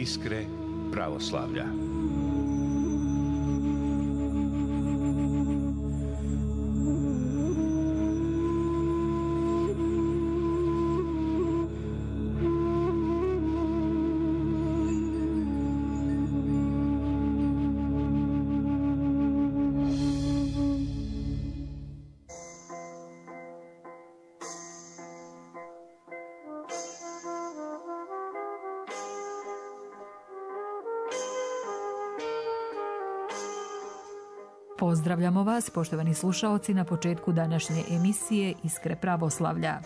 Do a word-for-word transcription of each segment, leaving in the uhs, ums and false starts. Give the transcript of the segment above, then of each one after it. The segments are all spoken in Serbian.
Iskre pravoslavlja. Pozdravljamo vas, poštovani slušaoci, na početku današnje emisije Iskre pravoslavlja.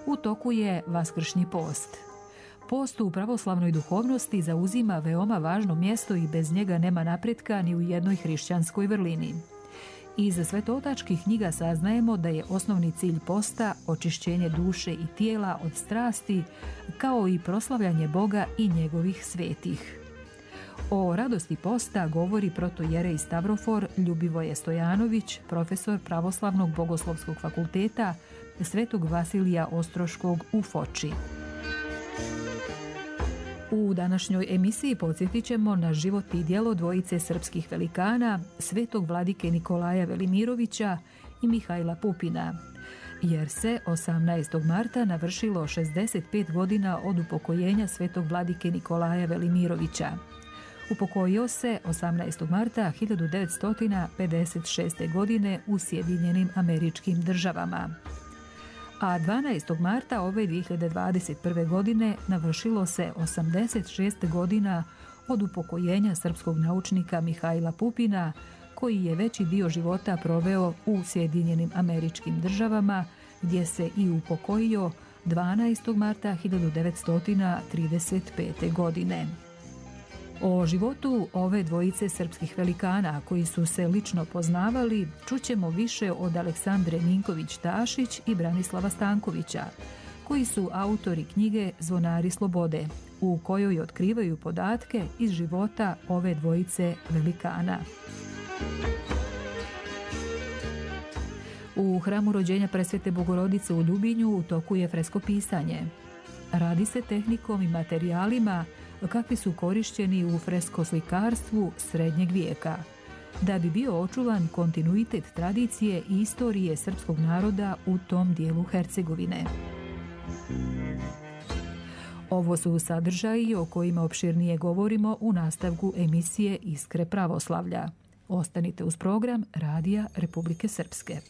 U toku je Vaskršnji post. Post u pravoslavnoj duhovnosti zauzima veoma važno mjesto i bez njega nema napretka ni u jednoj hrišćanskoj vrlini. Iz svetotačkih knjiga saznajemo da je osnovni cilj posta očišćenje duše i tijela od strasti, kao i proslavljanje Boga i njegovih svetih. O radosti posta govori protojerej Stavrofor Ljubivoje Stojanović, profesor Pravoslavnog bogoslovskog fakulteta Svetog Vasilija Ostroškog u Foči. U današnjoj emisiji podsjetit ćemo na život i djelo dvojice srpskih velikana, svetog vladike Nikolaja Velimirovića i Mihajla Pupina, jer se osamnaestog marta navršilo šezdeset pet godina od upokojenja svetog vladike Nikolaja Velimirovića. Upokojio se osamnaestog marta hiljadu devetsto pedeset šeste. godine u Sjedinjenim Američkim Državama. A dvanaestog marta ove dvije hiljade dvadeset prve. godine navršilo se osamdeset šest godina od upokojenja srpskog naučnika Mihajla Pupina, koji je veći dio života proveo u Sjedinjenim Američkim Državama, gdje se i upokojio dvanaestog marta hiljadu devetsto trideset pete. godine. O životu ove dvojice srpskih velikana, koji su se lično poznavali, čućemo više od Aleksandre Ninković-Tašić i Branislava Stankovića, koji su autori knjige Zvonari slobode, u kojoj otkrivaju podatke iz života ove dvojice velikana. U hramu rođenja Presvete Bogorodice u Ljubinju u toku je freskopisanje. Radi se tehnikom i materijalima kakvi su korišćeni u freskoslikarstvu srednjeg vijeka, da bi bio očuvan kontinuitet tradicije i istorije srpskog naroda u tom dijelu Hercegovine. Ovo su sadržaji o kojima opširnije govorimo u nastavku emisije Iskre pravoslavlja. Ostanite uz program Radija Republike Srpske.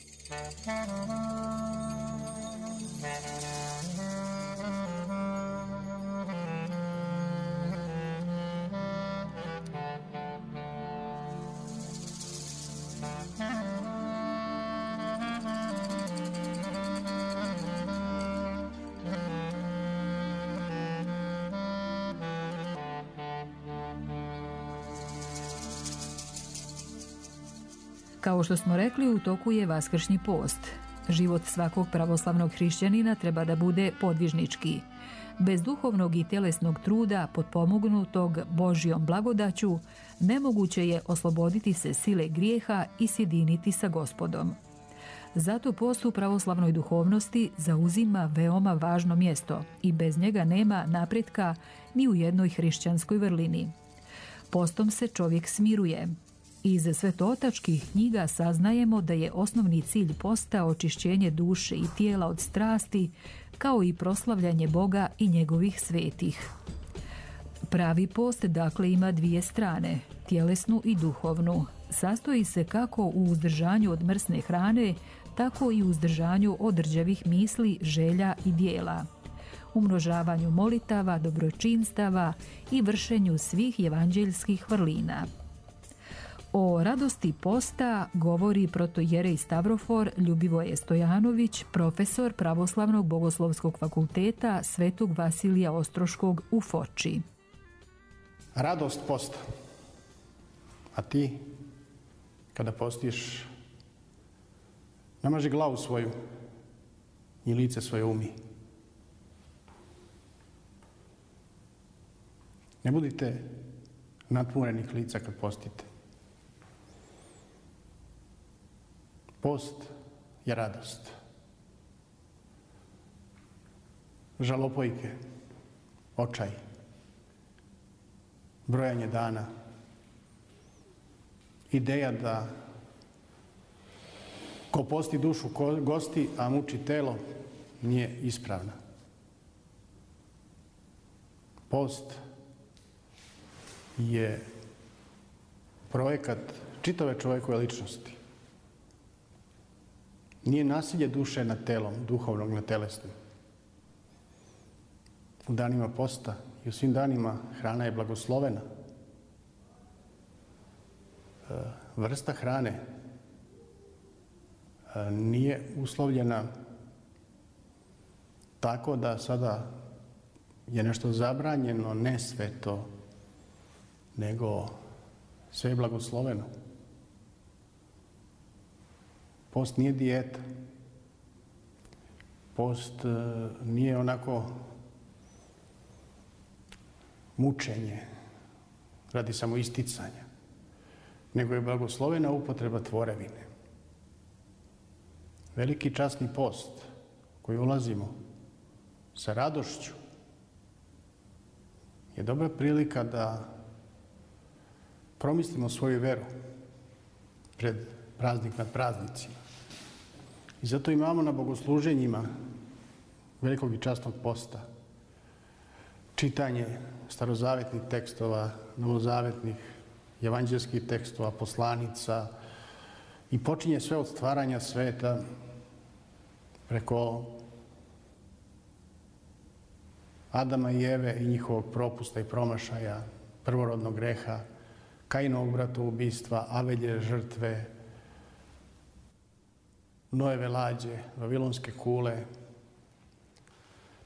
Kao što smo rekli, u toku je Vaskršnji post. Život svakog pravoslavnog hrišćanina treba da bude podvižnički. Bez duhovnog i tjelesnog truda, potpomognutog Božjom blagodaću, nemoguće je osloboditi se sile grijeha i sjediniti sa Gospodom. Zato post u pravoslavnoj duhovnosti zauzima veoma važno mjesto i bez njega nema napretka ni u jednoj hrišćanskoj vrlini. Postom se čovjek smiruje. Iz svetotačkih knjiga saznajemo da je osnovni cilj posta očišćenje duše i tijela od strasti, kao i proslavljanje Boga i njegovih svetih. Pravi post dakle ima dvije strane, tjelesnu i duhovnu. Sastoji se kako u uzdržanju od mrsne hrane, tako i u uzdržanju od rđavih misli, želja i dijela, umnožavanju molitava, dobročinstava i vršenju svih evanđeljskih vrlina. O radosti posta govori protojerej Stavrofor Ljubivoje Stojanović, profesor Pravoslavnog bogoslovskog fakulteta Svetog Vasilija Ostroškog u Foči. Radost posta. A ti, kada postiš, namaži glavu svoju i lice svoje umi. Ne budite natvorenih lica kad postite. Post je radost. Žalopojke, očaj, brojanje dana. Ideja da ko posti dušu gosti, a muči telo, nije ispravna. Post je projekat čitave čovjekove ličnosti. Nije nasilje duše nad telom, duhovnog nad telesnim. U danima posta i u svim danima hrana je blagoslovena. Vrsta hrane nije uslovljena tako da sada je nešto zabranjeno, ne sveto, nego sve je blagosloveno. Post nije dijeta. Post nije onako mučenje radi samoisticanja, nego je blagoslovena upotreba tvorevine. Veliki časni post koji ulazimo sa radošću je dobra prilika da promislimo svoju veru pred praznik nad praznicima. I zato imamo na bogosluženjima velikog i časnog posta čitanje starozavetnih tekstova, novozavetnih, evanđelskih tekstova, poslanica i počinje sve od stvaranja sveta preko Adama i Eve i njihovog propusta i promašaja, prvorodnog greha, Kainovog bratoubistva, Avelje žrtve, Noeve lađe, Vavilonske kule,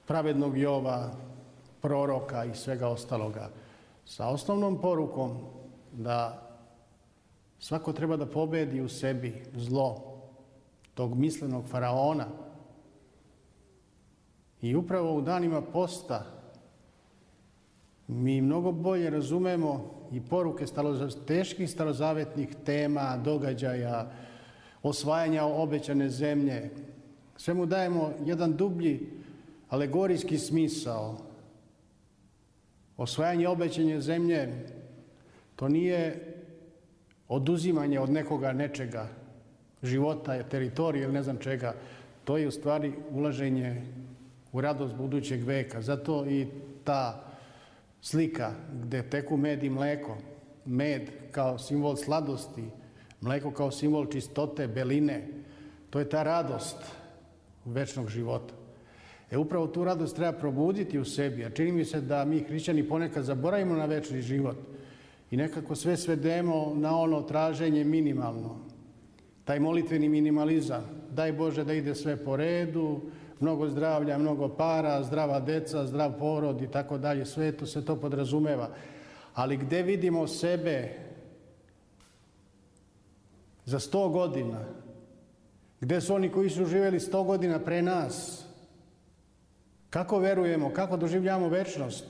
pravednog Jova, proroka i svega ostaloga, sa osnovnom porukom da svako treba da pobedi u sebi zlo tog mislenog faraona. I upravo u danima posta mi mnogo bolje razumemo i poruke teških starozavetnih tema, događaja, osvajanja obećane zemlje. Sve mu dajemo jedan dublji alegorijski smisao. Osvajanje obećane zemlje, to nije oduzimanje od nekoga nečega, života, teritorije ili ne znam čega. To je u stvari ulaženje u radost budućeg veka. Zato i ta slika gde teku med i mleko, med kao simbol sladosti, mleko kao simbol čistote, beline, to je ta radost večnog života. E upravo tu radost treba probuditi u sebi, a čini mi se da mi hrišćani ponekad zaboravimo na večni život i nekako sve svedemo na ono traženje minimalno. Taj molitveni minimalizam, daj Bože da ide sve po redu, mnogo zdravlja, mnogo para, zdrava deca, zdrav porod i tako dalje, sve to se to podrazumeva. Ali gde vidimo sebe za sto godina? Gde su oni koji su živjeli sto godina pre nas? Kako verujemo, kako doživljamo večnost?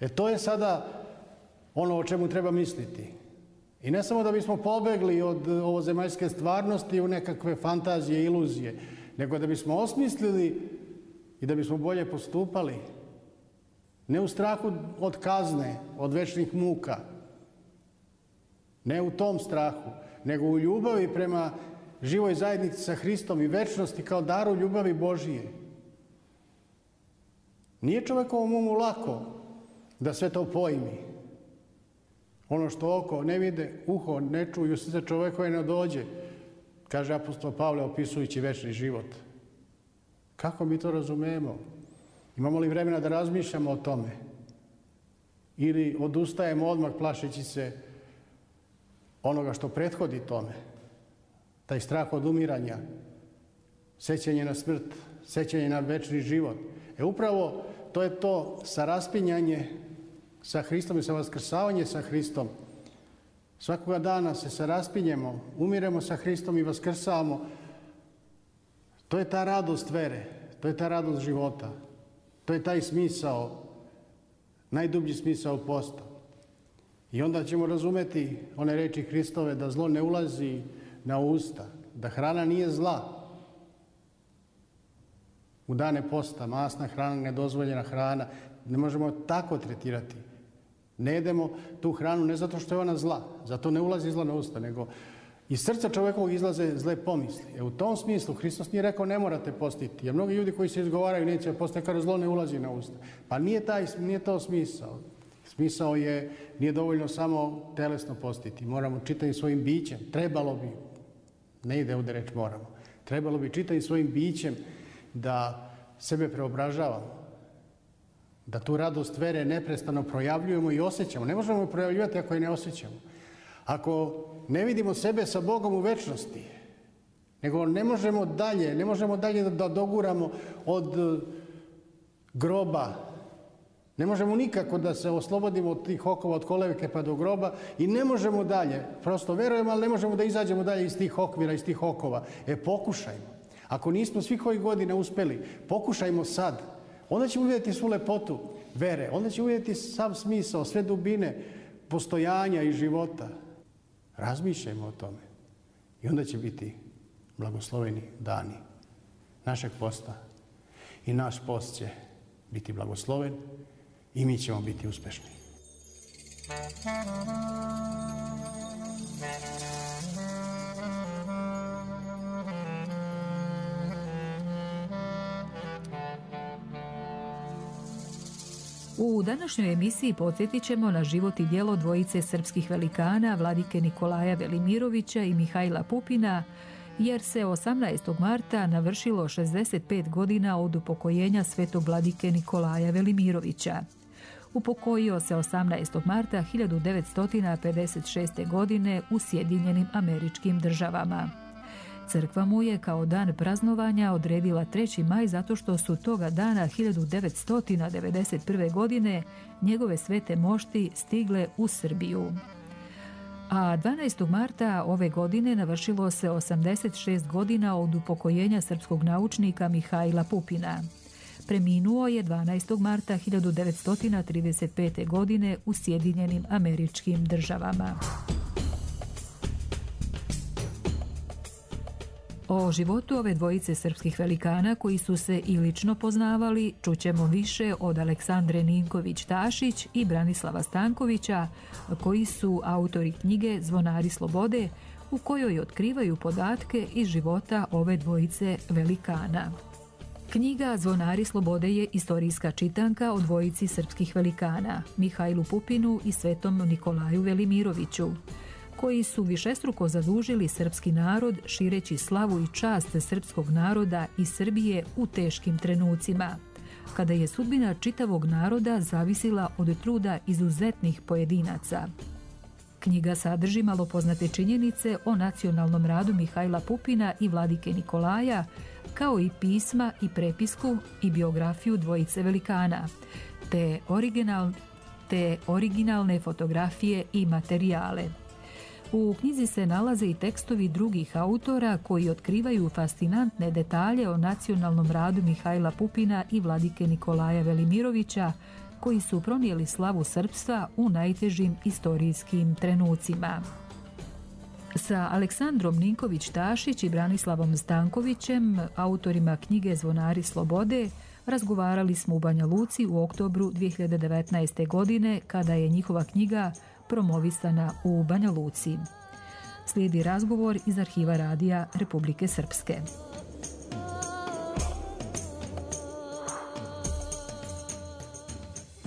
E to je sada ono o čemu treba misliti. I ne samo da bismo pobegli od ovozemaljske stvarnosti u nekakve fantazije, iluzije, nego da bismo osmislili i da bismo bolje postupali. Ne u strahu od kazne, od večnih muka, ne u tom strahu, nego u ljubavi prema živoj zajednici sa Hristom i večnosti kao daru ljubavi Božije. Nije čovekovom umu lako da sve to pojmi. Ono što oko ne vide, uho ne čuju, srce čovekove ne dođe, kaže apostol Pavle opisujući večni život. Kako mi to razumemo? Imamo li vremena da razmišljamo o tome? Ili odustajemo odmah plašeći se onoga što prethodi tome? Taj strah od umiranja, sećanje na smrt, sećanje na večni život. E upravo to je to saraspinjanje sa Hristom i sa vaskrsavanjem sa Hristom. Svakoga dana se saraspinjemo, umiremo sa Hristom i vaskrsavamo. To je ta radost vere, to je ta radost života. To je taj smisao, najdublji smisao posta. I onda ćemo razumeti one reči Hristove da zlo ne ulazi na usta, da hrana nije zla. U dane posta, masna hrana, nedozvoljena hrana, ne možemo tako tretirati. Ne jedemo tu hranu ne zato što je ona zla, zato ne ulazi zla na usta, nego iz srca čovjekovog izlaze zle pomisli. E u tom smislu Hristos nije rekao ne morate postiti, jer mnogi ljudi koji se izgovaraju neće postiti, kada zlo ne ulazi na usta. Pa nije, taj, nije to smisao. Smisao je, nije dovoljno samo telesno postiti. Moramo čitavim svojim bićem, trebalo bi, ne ide ovdje reč moramo, trebalo bi čitavim svojim bićem da sebe preobražavamo, da tu radost vere neprestano projavljujemo i osjećamo. Ne možemo je projavljivati ako je ne osjećamo. Ako ne vidimo sebe sa Bogom u večnosti, nego ne možemo dalje, ne možemo dalje da doguramo od groba, ne možemo nikako da se oslobodimo od tih okova, od kolevke pa do groba i ne možemo dalje. Prosto verujemo, ali ne možemo da izađemo dalje iz tih okvira, iz tih okova. E, pokušajmo. Ako nismo svih ovih godina uspeli, pokušajmo sad. Onda ćemo vidjeti svu lepotu vere, onda ćemo vidjeti sav smisao, sve dubine postojanja i života. Razmišljajmo o tome. I onda će biti blagosloveni dani našeg posta. I naš post će biti blagosloven i mi ćemo biti uspešni. U današnjoj emisiji podsjetit ćemo na život i djelo dvojice srpskih velikana, vladike Nikolaja Velimirovića i Mihajla Pupina, jer se osamnaestog marta navršilo šezdeset pet godina od upokojenja svetog vladike Nikolaja Velimirovića. Upokojio se osamnaestog marta hiljadu devetsto pedeset šeste. godine u Sjedinjenim Američkim Državama. Crkva mu je kao dan praznovanja odredila treći maj zato što su toga dana hiljadu devetsto devedeset prve. godine njegove svete mošti stigle u Srbiju. A dvanaestog marta ove godine navršilo se osamdeset šest godina od upokojenja srpskog naučnika Mihajla Pupina. Preminuo je dvanaestog marta hiljadu devetsto trideset pete. godine u Sjedinjenim Američkim Državama. O životu ove dvojice srpskih velikana koji su se i lično poznavali čućemo više od Aleksandre Ninković-Tašić i Branislava Stankovića, koji su autori knjige Zvonari slobode, u kojoj otkrivaju podatke iz života ove dvojice velikana. Knjiga Zvonari slobode je istorijska čitanka o dvojici srpskih velikana, Mihajlu Pupinu i svetom Nikolaju Velimiroviću, koji su višestruko zadužili srpski narod šireći slavu i čast srpskog naroda i Srbije u teškim trenucima, kada je sudbina čitavog naroda zavisila od truda izuzetnih pojedinaca. Knjiga sadrži malo poznate činjenice o nacionalnom radu Mihajla Pupina i vladike Nikolaja, kao i pisma i prepisku i biografiju dvojice velikana, te, original, te originalne fotografije i materijale. U knjizi se nalaze i tekstovi drugih autora koji otkrivaju fascinantne detalje o nacionalnom radu Mihajla Pupina i vladike Nikolaja Velimirovića, koji su pronijeli slavu srpstva u najtežim istorijskim trenucima. Sa Aleksandrom Ninković-Tašić i Branislavom Stankovićem, autorima knjige Zvonari slobode, razgovarali smo u Banja Luci u oktobru dvije hiljade devetnaeste. godine, kada je njihova knjiga promovisana u Banja Luci. Slijedi razgovor iz arhiva Radija Republike Srpske.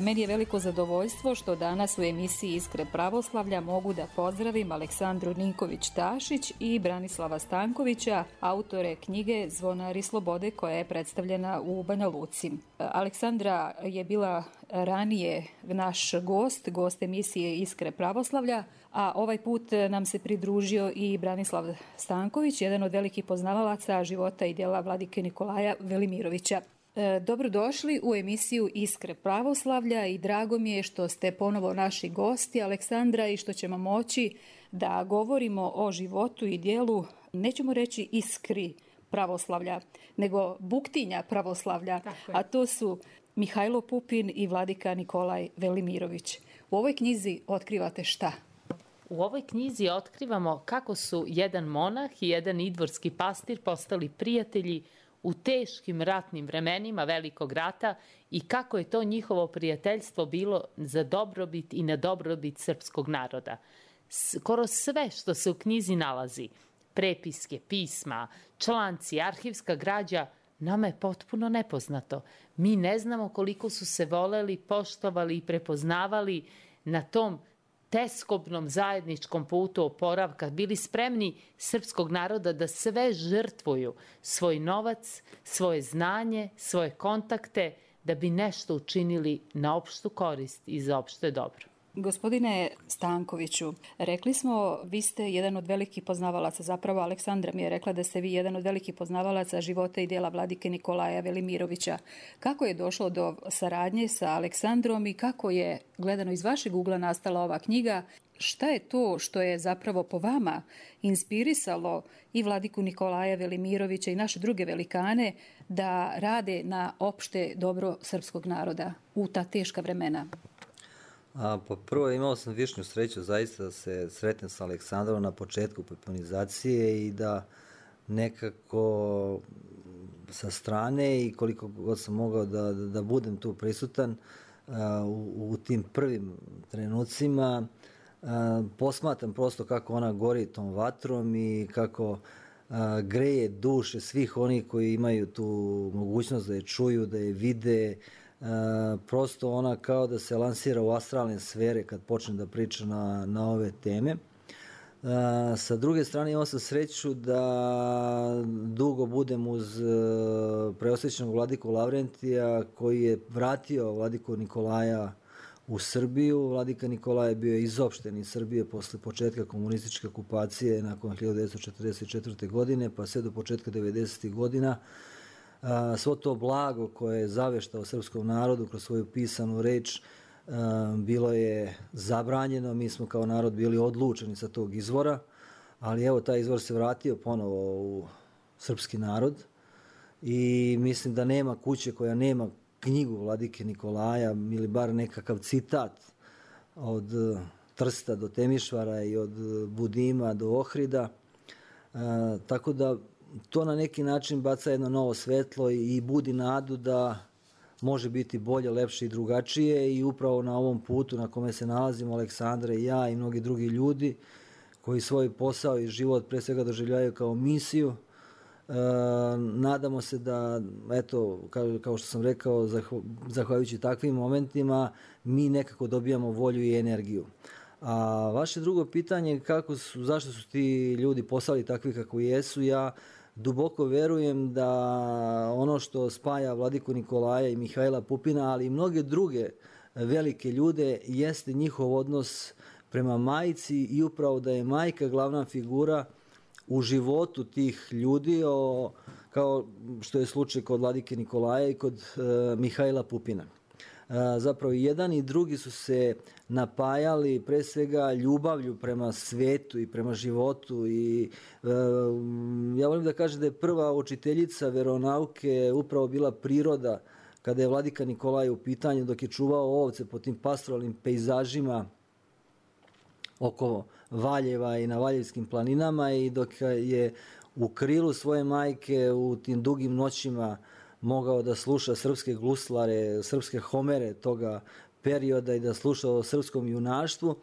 Meni je veliko zadovoljstvo što danas u emisiji Iskre pravoslavlja mogu da pozdravim Aleksandru Ninković-Tašić i Branislava Stankovića, autore knjige Zvonari slobode, koja je predstavljena u Banja Luci. Aleksandra je bila ranije naš gost, gost emisije Iskre pravoslavlja, a ovaj put nam se pridružio i Branislav Stanković, jedan od velikih poznavalaca života i djela vladike Nikolaja Velimirovića. Dobrodošli u emisiju Iskre pravoslavlja i drago mi je što ste ponovo naši gosti, Aleksandra, i što ćemo moći da govorimo o životu i djelu, nećemo reći iskri pravoslavlja, nego buktinja pravoslavlja, a to su Mihajlo Pupin i vladika Nikolaj Velimirović. U ovoj knjizi otkrivate šta? U ovoj knjizi otkrivamo kako su jedan monah i jedan idvorski pastir postali prijatelji u teškim ratnim vremenima Velikog rata i kako je to njihovo prijateljstvo bilo za dobrobit i na dobrobit srpskog naroda. Skoro sve što se u knjizi nalazi, prepiske, pisma, članci, arhivska građa, nama je potpuno nepoznato. Mi ne znamo koliko su se voleli, poštovali i prepoznavali na tom teskobnom zajedničkom putu oporavka, bili spremni srpskog naroda da sve žrtvuju, svoj novac, svoje znanje, svoje kontakte, da bi nešto učinili na opštu korist i za opšte dobro. Gospodine Stankoviću, rekli smo, vi ste jedan od velikih poznavalaca, zapravo Aleksandra mi je rekla da ste vi jedan od velikih poznavalaca života i djela vladike Nikolaja Velimirovića. Kako je došlo do saradnje sa Aleksandrom i kako je, gledano iz vašeg ugla, nastala ova knjiga? Šta je to što je zapravo po vama inspirisalo i vladiku Nikolaja Velimirovića i naše druge velikane da rade na opšte dobro srpskog naroda u ta teška vremena? A, pa prvo imao sam višnju sreću zaista da se sretnem sa Aleksandrom na početku poponizacije i da nekako sa strane i koliko god sam mogao da, da, da budem tu prisutan a, u, u tim prvim trenucima, a, posmatram prosto kako ona gori tom vatrom i kako a, greje duše svih onih koji imaju tu mogućnost da je čuju, da je vide. Uh, prosto ona kao da se lansira u astralne sfere kad počne da priča na, na ove teme. Uh, sa druge strane imao sam sreću da dugo budem uz uh, preosvećenog vladiku Lavrentija koji je vratio vladiku Nikolaja u Srbiju. Vladika Nikolaj je bio izopšten iz Srbije posle početka komunističke okupacije nakon hiljadu devetsto četrdeset četvrte. godine pa sve do početka devedesetih godina. A, svo to blago koje je zaveštao srpskom narodu kroz svoju pisanu reč a, bilo je zabranjeno. Mi smo kao narod bili odlučeni sa tog izvora, ali evo taj izvor se vratio ponovo u srpski narod i mislim da nema kuće koja nema knjigu vladike Nikolaja ili bar nekakav citat od Trsta do Temišvara i od Budima do Ohrida, a, tako da to na neki način baca jedno novo svetlo i budi nadu da može biti bolje, lepše i drugačije i upravo na ovom putu na kome se nalazimo Aleksandra i ja i mnogi drugi ljudi koji svoj posao i život pre svega doživljavaju kao misiju. E, nadamo se da, eto, kao, kao što sam rekao, zahvaljujući takvim momentima mi nekako dobijamo volju i energiju. A vaše drugo pitanje, kako su, zašto su ti ljudi postali takvi kako jesu, ja duboko verujem da ono što spaja vladiku Nikolaja i Mihajla Pupina, ali i mnoge druge velike ljude, jeste njihov odnos prema majci i upravo da je majka glavna figura u životu tih ljudi, o, kao što je slučaj kod vladike Nikolaja i kod e, Mihajla Pupina. Zapravo jedan i drugi su se napajali pre svega ljubavlju prema svetu i prema životu i e, ja volim da kažem da je prva učiteljica veronauke upravo bila priroda kada je vladika Nikolaj u pitanju dok je čuvao ovce po tim pastoralnim pejzažima oko Valjeva i na Valjevskim planinama i dok je u krilu svoje majke u tim dugim noćima mogao da sluša srpske guslare, srpske homere toga perioda i da sluša o srpskom junaštvu.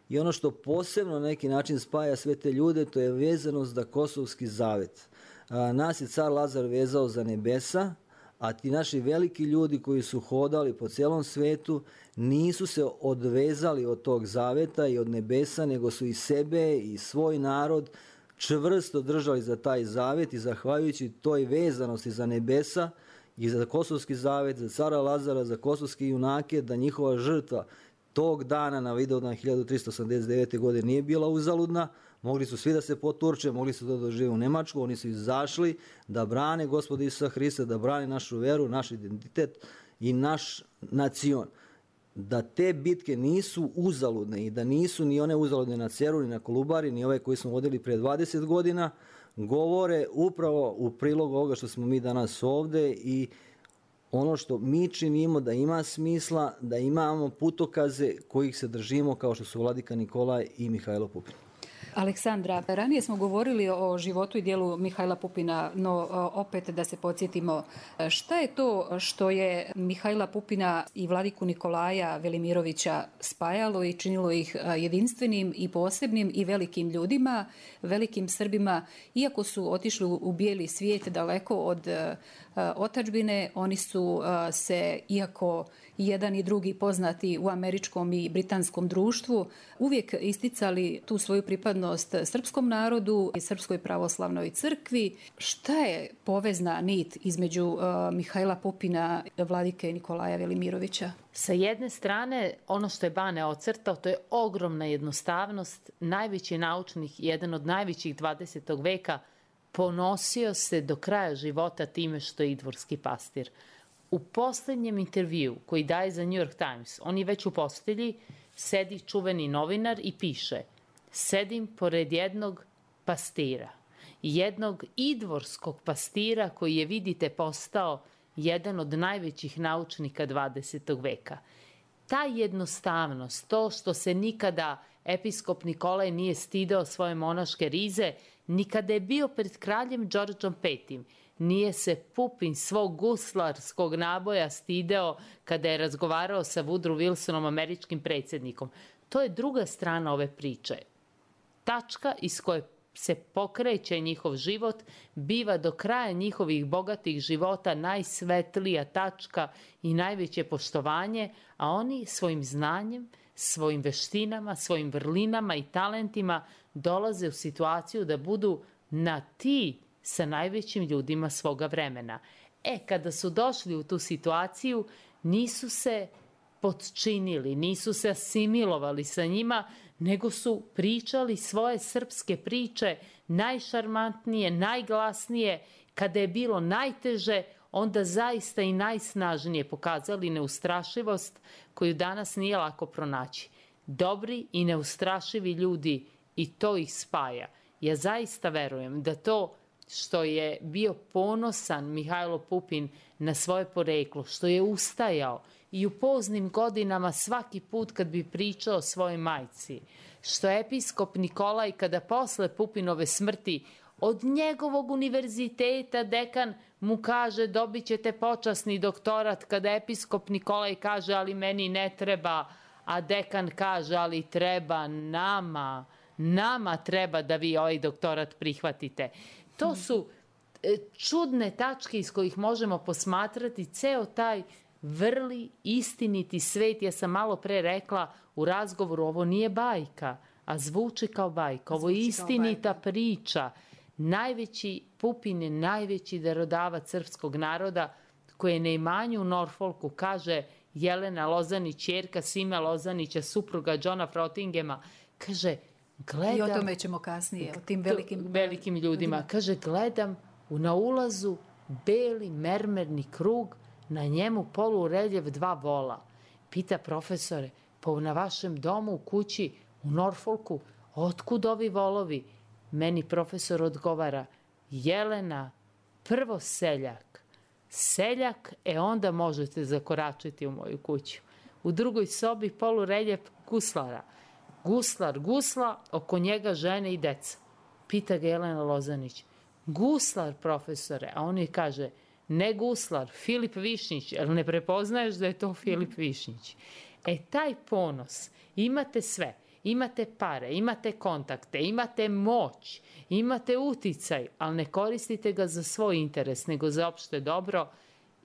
I ono što posebno na neki način spaja sve te ljude, to je vezanost za Kosovski zavet. A, nas je car Lazar vezao za nebesa, a ti naši veliki ljudi koji su hodali po celom svetu nisu se odvezali od tog zaveta i od nebesa, nego su i sebe i svoj narod čvrsto držali za taj zavet i zahvaljujući toj vezanosti za nebesa i za Kosovski zavet, za cara Lazara, za kosovske junake, da njihova žrtva tog dana na Vidovdan hiljadu tristo osamdeset devete. godine nije bila uzaludna. Mogli su svi da se poturče, mogli su da dožive u Nemačku, oni su izašli da brane Gospoda Isusa Hrista, da brane našu veru, naš identitet i naš nacion. Da te bitke nisu uzaludne i da nisu ni one uzaludne na Ceru, ni na Kolubari, ni ove koje smo vodili pre dvadeset godina, govore upravo u prilog ovoga što smo mi danas ovde i ono što mi činimo da ima smisla, da imamo putokaze kojih se držimo kao što su vladika Nikolaj i Mihajlo Pupin. Aleksandra, ranije smo govorili o životu i dijelu Mihajla Pupina, no opet da se podsjetimo, šta je to što je Mihajla Pupina i vladiku Nikolaja Velimirovića spajalo i činilo ih jedinstvenim i posebnim i velikim ljudima, velikim Srbima, iako su otišli u bijeli svijet daleko od otadžbine, oni su se, iako jedan i drugi poznati u američkom i britanskom društvu, uvijek isticali tu svoju pripadnost srpskom narodu i Srpskoj pravoslavnoj crkvi. Šta je povezna nit između uh, Mihajla Pupina i vladike Nikolaja Velimirovića? Sa jedne strane, ono što je Bane ocrtao, to je ogromna jednostavnost. Najveći naučnik, jedan od najvećih dvadesetog veka, ponosio se do kraja života time što je idvorski pastir. U posljednjem intervju koji daje za New York Times, on je već u postelji, sedi čuveni novinar i piše: sedim pored jednog pastira, jednog idvorskog pastira koji je, vidite, postao jedan od najvećih naučnika dvadesetog veka. Ta jednostavnost, to što se nikada episkop Nikolaj nije stidao svoje monaške rize, nikada je bio pred kraljem Đorđom petim, nije se Pupin svog guslarskog naboja stideo kada je razgovarao sa Woodrow Wilsonom, američkim predsjednikom. To je druga strana ove priče. Tačka iz koje se pokreće njihov život biva do kraja njihovih bogatih života najsvetlija tačka i najveće poštovanje, a oni svojim znanjem, svojim veštinama, svojim vrlinama i talentima dolaze u situaciju da budu na ti sa najvećim ljudima svoga vremena. E, kada su došli u tu situaciju, nisu se potčinili, nisu se asimilovali sa njima, nego su pričali svoje srpske priče, najšarmantnije, najglasnije. Kada je bilo najteže, onda zaista i najsnažnije pokazali neustrašivost koju danas nije lako pronaći. Dobri i neustrašivi ljudi, i to ih spaja. Ja zaista verujem da to što je bio ponosan Mihajlo Pupin na svoje poreklo, što je ustajao i u poznim godinama svaki put kad bi pričao o svojoj majci, što je episkop Nikolaj kada posle Pupinove smrti od njegovog univerziteta dekan mu kaže: dobit ćete počasni doktorat, kada episkop Nikolaj kaže: ali meni ne treba, a dekan kaže: ali treba nama, nama treba da vi ovaj doktorat prihvatite. To su čudne tačke iz kojih možemo posmatrati ceo taj vrli, istiniti svet. Ja sam malo pre rekla u razgovoru, ovo nije bajka, a zvuči kao bajka. Ovo je istinita priča. Najveći Pupin je najveći darodavac srpskog naroda, koji je na imanju u Norfolku, kaže Jelena Lozanić, ćerka Sime Lozanića, supruga Johna Frottingema, kaže: gledam, i o tome ćemo kasnije, o tim velikim, velikim ljudima. Kaže: gledam na ulazu beli mermerni krug, na njemu polureljef dva vola. Pita profesore: pa na vašem domu u kući u Norfolku, otkud ovi volovi? Meni profesor odgovara: Jelena, prvo seljak. Seljak, e onda možete zakoračiti u moju kuću. U drugoj sobi polureljef guslara. Guslar gusla, oko njega žene i deca. Pita ga Jelena Lozanić: guslar, profesore? A on joj kaže: ne guslar, Filip Višnjić. Jel ne prepoznaješ da je to Filip Višnjić? E, taj ponos, imate sve. Imate pare, imate kontakte, imate moć, imate uticaj, ali ne koristite ga za svoj interes, nego za opšte dobro.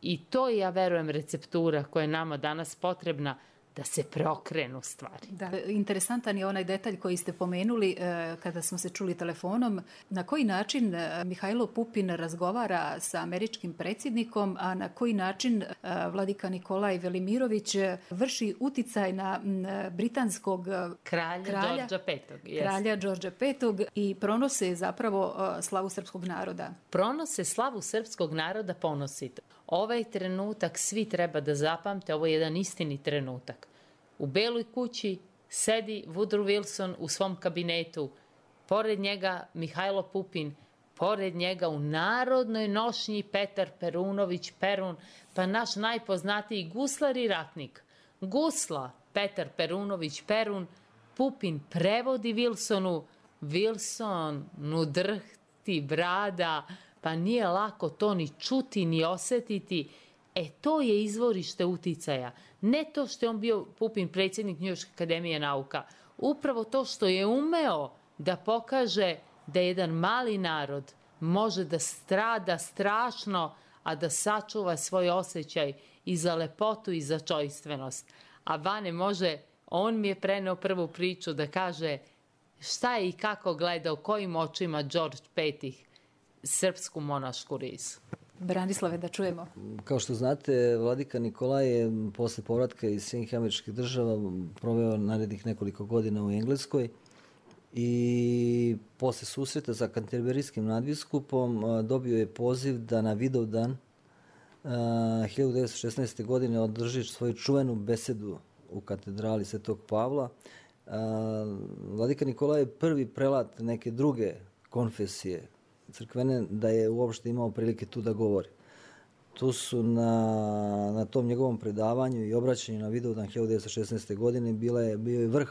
I to je, ja verujem, receptura koja je nama danas potrebna, da se preokrenu stvari. Da, interesantan je onaj detalj koji ste pomenuli eh, kada smo se čuli telefonom. Na koji način eh, Mihajlo Pupin razgovara sa američkim predsjednikom, a na koji način eh, vladika Nikolaj Velimirović vrši uticaj na m, britanskog kralja, kralja Đorđa petog. Kralja Đorđa petog i pronose zapravo eh, slavu srpskog naroda. Pronose slavu srpskog naroda ponosito. Ovaj trenutak svi treba da zapamte, ovo je jedan istini trenutak. U Beloj kući sedi Woodrow Wilson u svom kabinetu, pored njega Mihajlo Pupin, pored njega u narodnoj nošnji Petar Perunović Perun, pa naš najpoznatiji guslar i ratnik. Gusla Petar Perunović Perun, Pupin prevodi Wilsonu, Wilson, nu drhti brada, pa nije lako to ni čuti, ni osetiti. E, to je izvorište uticaja. Ne to što je on bio Pupin predsjednik Njujorške akademije nauka. Upravo to što je umeo da pokaže da jedan mali narod može da strada strašno, a da sačuva svoj osjećaj i za lepotu i za čojstvenost. A Bane može, on mi je preneo prvu priču da kaže šta je i kako gledao, kojim očima Đorđe Petih srpsku monašku rizu. Branislave, da čujemo. Kao što znate, vladika Nikolaj je posle povratka iz Sjedinjenih Američkih Država proveo narednih nekoliko godina u Engleskoj i posle susreta sa Kanterberijskim nadbiskupom dobio je poziv da na Vidovdan hiljadu devetsto šesnaeste. godine održi svoju čuvenu besedu u katedrali Svetog Pavla. Vladika Nikolaj je prvi prelat neke druge konfesije crkvene da je uopšte imao prilike tu da govori. Tu su na, na tom njegovom predavanju i obraćanju na Vidovdan hiljadu devetsto šesnaeste. godine bila je, bio je vrh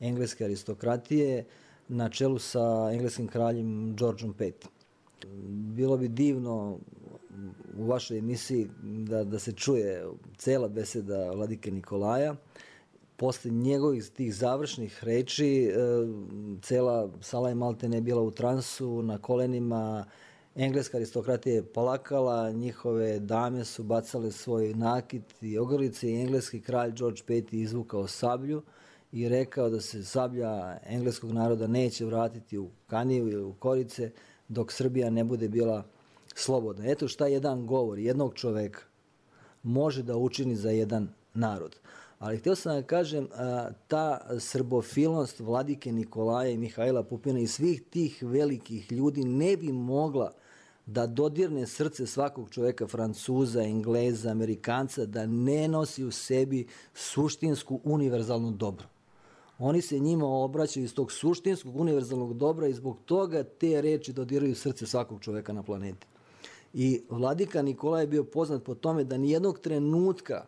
engleske aristokratije na čelu sa engleskim kraljem Đorđom Petim. Bilo bi divno u vašoj emisiji da, da se čuje cela beseda vladike Nikolaja. Posle njegovih tih završnih reči, e, cela sala je maltene bila u transu, na kolenima, engleska aristokratija je plakala, njihove dame su bacale svoj nakit i ogrlice i engleski kralj Đorđe Peti izvukao sablju i rekao da se sablja engleskog naroda neće vratiti u Kaniju ili u Korice dok Srbija ne bude bila slobodna. Eto šta jedan govor jednog čoveka može da učini za jedan narod. Ali htio sam da kažem, ta srbofilnost vladike Nikolaja i Mihajla Pupina i svih tih velikih ljudi ne bi mogla da dodirne srce svakog čoveka, Francuza, Engleza, Amerikanca, da ne nosi u sebi suštinsku univerzalnu dobro. Oni se njima obraćaju iz tog suštinskog univerzalnog dobra i zbog toga te reči dodiraju srce svakog čoveka na planeti. I vladika Nikolaj je bio poznat po tome da nijednog trenutka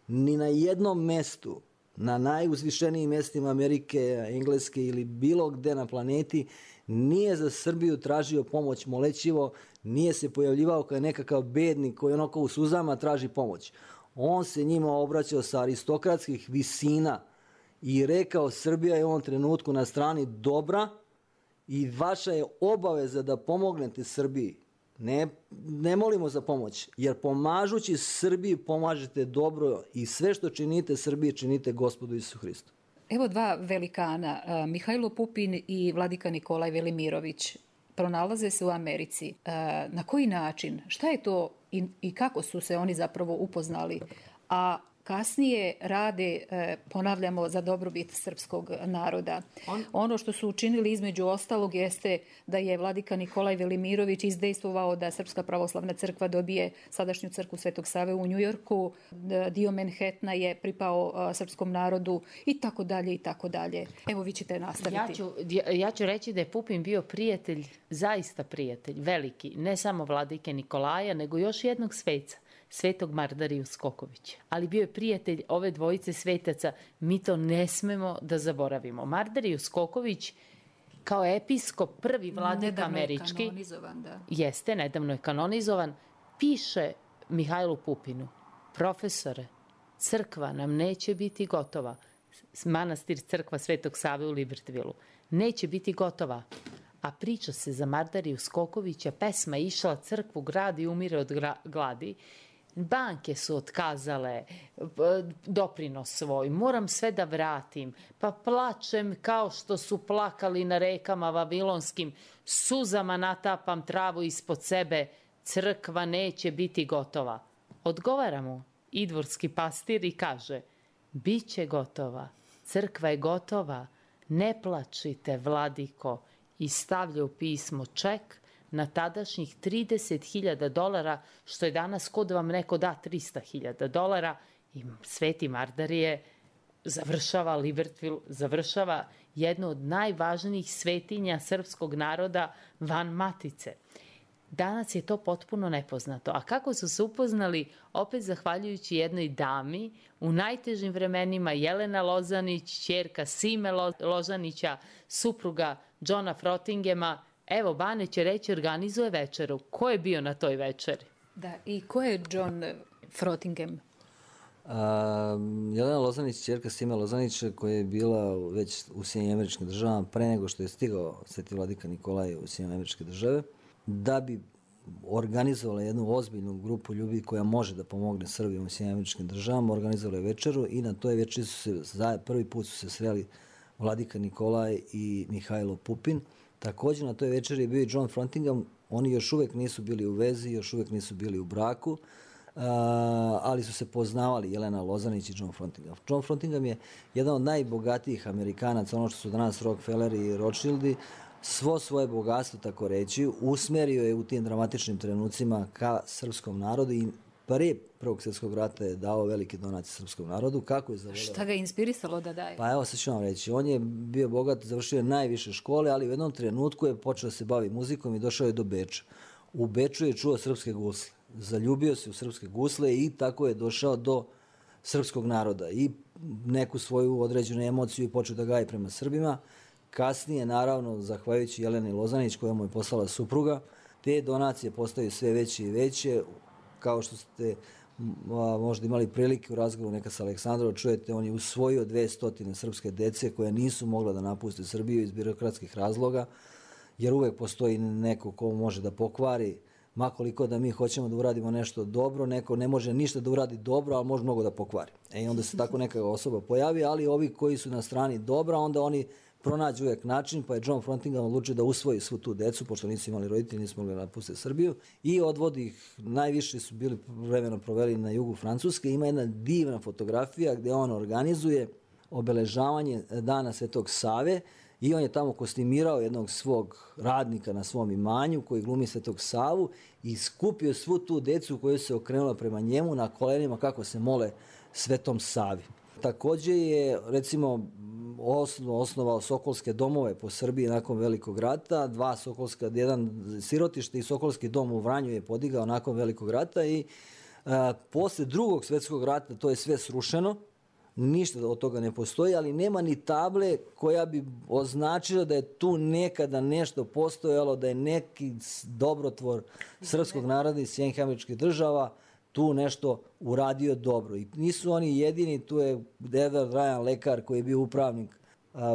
ni na jednom mestu, na najuzvišenijim mestima Amerike, Engleske ili bilo gde na planeti, nije za Srbiju tražio pomoć molećivo, nije se pojavljivao kao nekakav bednik koji onako u suzama traži pomoć. On se njima obraćao sa aristokratskih visina i rekao Srbija je u ovom trenutku na strani dobra i vaša je obaveza da pomognete Srbiji. Ne, ne molimo za pomoć, jer pomažući Srbiji pomažete dobro i sve što činite Srbiji činite Gospodu Isusu Hristu. Evo dva velikana, Mihajlo Pupin i vladika Nikolaj Velimirović, pronalaze se u Americi. Na koji način, šta je to i, i kako su se oni zapravo upoznali, a kasnije rade, ponavljamo, za dobrobit srpskog naroda. On... Ono što su učinili između ostalog jeste da je vladika Nikolaj Velimirović izdejstvovao da Srpska pravoslavna crkva dobije sadašnju crkvu Svetog Save u Njujorku, dio Manhattana je pripao srpskom narodu i tako dalje i tako dalje. Evo, vi ćete nastaviti. Ja ću, ja ću reći da je Pupin bio prijatelj, zaista prijatelj, veliki, ne samo vladike Nikolaja, nego još jednog sveca, Svetog Mardariju Skokovića. Ali bio je prijatelj ove dvojice svetaca, mi to ne smemo da zaboravimo. Mardariju Skoković kao episkop, prvi vladika nedavno američki, je kanonizovan, da. Jeste, nedavno je kanonizovan, piše Mihajlu Pupinu: profesore, crkva nam neće biti gotova. Manastir crkva Svetog Save u Libertvilu. Neće biti gotova. A priča se za Mardariju Skokovića, pesma išla crkvu grad i umire od gladi. Banke su otkazale doprinos svoj, moram sve da vratim, pa plačem kao što su plakali na rekama vavilonskim, suzama natapam travu ispod sebe, crkva neće biti gotova. Odgovara mu idvorski pastir i kaže: biće gotova, crkva je gotova, ne plačite, vladiko, i stavlja u pismo ček na tadašnjih trideset hiljada dolara, što je danas kod vam neko da trista hiljada dolara, i Sveti Mardarije završava Libertville, završava jednu od najvažnijih svetinja srpskog naroda van Matice. Danas je to potpuno nepoznato. A kako su se upoznali? Opet zahvaljujući jednoj dami u najtežim vremenima, Jelena Lozanić, ćerka Sime Lozanića, supruga Johna Frottingema. Evo, Bane će reći, organizuje večeru. Ko je bio na toj večeri? Da, i ko je John Frottingham? A, Jelena Lozanić, ćerka Sime Lozanić, koja je bila već u Sjedinjenim Američkim Državama pre nego što je stigao Sveti vladika Nikolaj u Sjedinjene Američke Države, da bi organizovala jednu ozbiljnu grupu ljudi koja može da pomogne Srbima u Sjedinjenim Američkim Državama, organizovala je večeru i na toj večeri su se, prvi put su se sreli vladika Nikolaj i Mihajlo Pupin. Također na toj večeri je bio i John Frottingham. Oni još uvijek nisu bili u vezi, još uvijek nisu bili u braku, Uh, ali su se poznavali Jelena Lozanić i John Frottingham. John Frottingham je jedan od najbogatijih Amerikanaca, ono što su danas Rockefelleri i Rothschildi, svo svoje bogatstvo, tako reći, usmerio je u tim dramatičnim trenucima ka srpskom narodu i pre Prvog svjetskog rata je dao velike donacije srpskom narodu. Kako je zavoleo? Šta ga je inspirisalo da daje? Pa evo, sad ću vam reći. On je bio bogat, završio je najviše škole, ali u jednom trenutku je počeo da se bavi muzikom i došao je do Beča. U Beču je čuo srpske gusle. Zaljubio se u srpske gusle i tako je došao do srpskog naroda i neku svoju određenu emociju i počeo da gaji prema Srbima. Kasnije, naravno, zahvaljujući Jeleni Lozanić koja mu je poslala supruga, te donacije postaju sve veće i veće. Kao što ste a, možda imali prilike u razgovoru neka sa Aleksandrom, čujete, on je usvojio dve stotine srpske dece koja nisu mogla da napuste Srbiju iz birokratskih razloga, jer uvek postoji neko ko može da pokvari. Makoliko da mi hoćemo da uradimo nešto dobro, neko ne može ništa da uradi dobro, ali može mnogo da pokvari. E, i onda se tako neka osoba pojavi, ali ovi koji su na strani dobra, onda oni pronađu uvijek način, pa je John Frottingham odlučio da usvoji svu tu decu, pošto nisu imali roditelji, nisu mogli napustiti Srbiju, i odvodi ih, najviše su bili vremeno proveli na jugu Francuske. Ima jedna divna fotografija gdje on organizuje obeležavanje Dana Svetog Save, i on je tamo kostimirao jednog svog radnika na svom imanju koji glumi Svetog Savu i skupio svu tu decu koju se okrenula prema njemu na kolenima kako se mole Svetom Savi. Također je, recimo, osnovao Sokolske domove po Srbiji nakon Velikog rata, dva Sokolska, jedan sirotište i Sokolski dom u Vranju je podigao nakon Velikog rata i a, posle Drugog svjetskog rata to je sve srušeno. Ništa od toga ne postoji, ali nema ni table koja bi označila da je tu nekada nešto postojalo, da je neki dobrotvor srpskog naroda iz Sjedinjenih Američkih Država tu nešto uradio dobro. I nisu oni jedini, tu je Edward Ryan, lekar koji je bio upravnik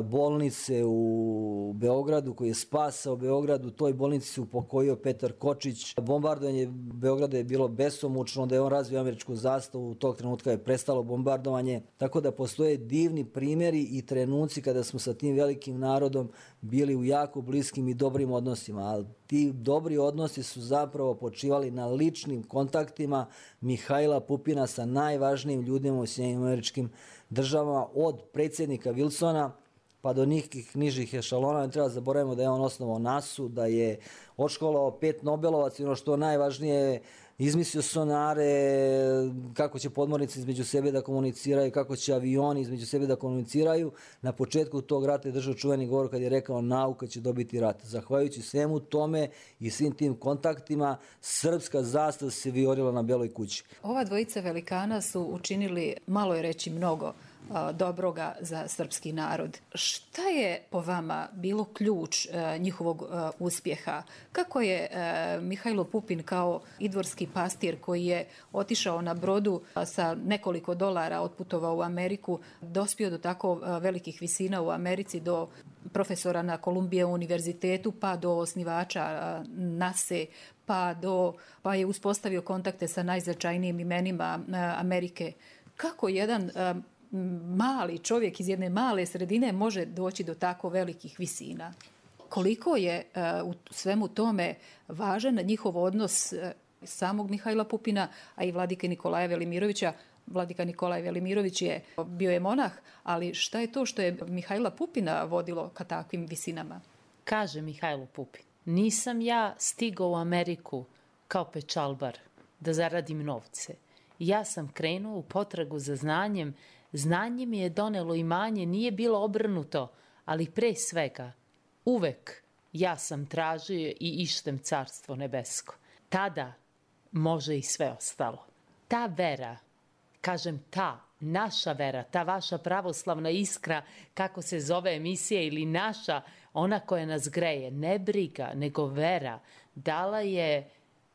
bolnice u Beogradu, koji je spasao Beograd. U toj bolnici se upokojio Petar Kočić. Bombardovanje Beograda je bilo besomučno, onda je on razvio američku zastavu, u tog trenutka je prestalo bombardovanje. Tako da postoje divni primjeri i trenuci kada smo sa tim velikim narodom bili u jako bliskim i dobrim odnosima. Ali ti dobri odnosi su zapravo počivali na ličnim kontaktima Mihajla Pupina sa najvažnijim ljudima u Sjedinjenim Američkim Državama, od predsjednika Wilsona pa do nekih nižih ešalona. Ne treba zaboravimo da je on osnovao nasu, da je odškolovao pet Nobelovaca i ono što najvažnije, izmislio sonare, kako će podmornice između sebe da komuniciraju, kako će avioni između sebe da komuniciraju. Na početku tog rata je držao čuveni govor kad je rekao nauka će dobiti rat. Zahvaljujući svemu tome i svim tim kontaktima, srpska zastava se vijorila na Beloj kući. Ova dvojica velikana su učinili, malo je reći mnogo, dobroga za srpski narod. Šta je po vama bilo ključ njihovog uspjeha? Kako je Mihajlo Pupin kao idvorski pastir koji je otišao na brodu sa nekoliko dolara, otputovao u Ameriku, dospio do tako velikih visina u Americi, do profesora na Kolumbijevom univerzitetu, pa do osnivača nase, pa, do, pa je uspostavio kontakte sa najznačajnijim imenima Amerike? Kako jedan mali čovjek iz jedne male sredine može doći do tako velikih visina? Koliko je uh, u svemu tome važan njihov odnos uh, samog Mihajla Pupina, a i vladike Nikolaja Velimirovića? Vladika Nikolaj Velimirović je bio je monah, ali šta je to što je Mihajla Pupina vodilo ka takvim visinama? Kaže Mihajlo Pupin, nisam ja stigao u Ameriku kao pečalbar da zaradim novce. Ja sam krenuo u potragu za znanjem. Znanje mi je donelo imanje, nije bilo obrnuto, ali pre svega, uvek ja sam tražio i ištem carstvo nebesko. Tada može i sve ostalo. Ta vera, kažem ta, naša vera, ta vaša pravoslavna iskra, kako se zove emisija, ili naša, ona koja nas greje, ne briga, nego vera, dala je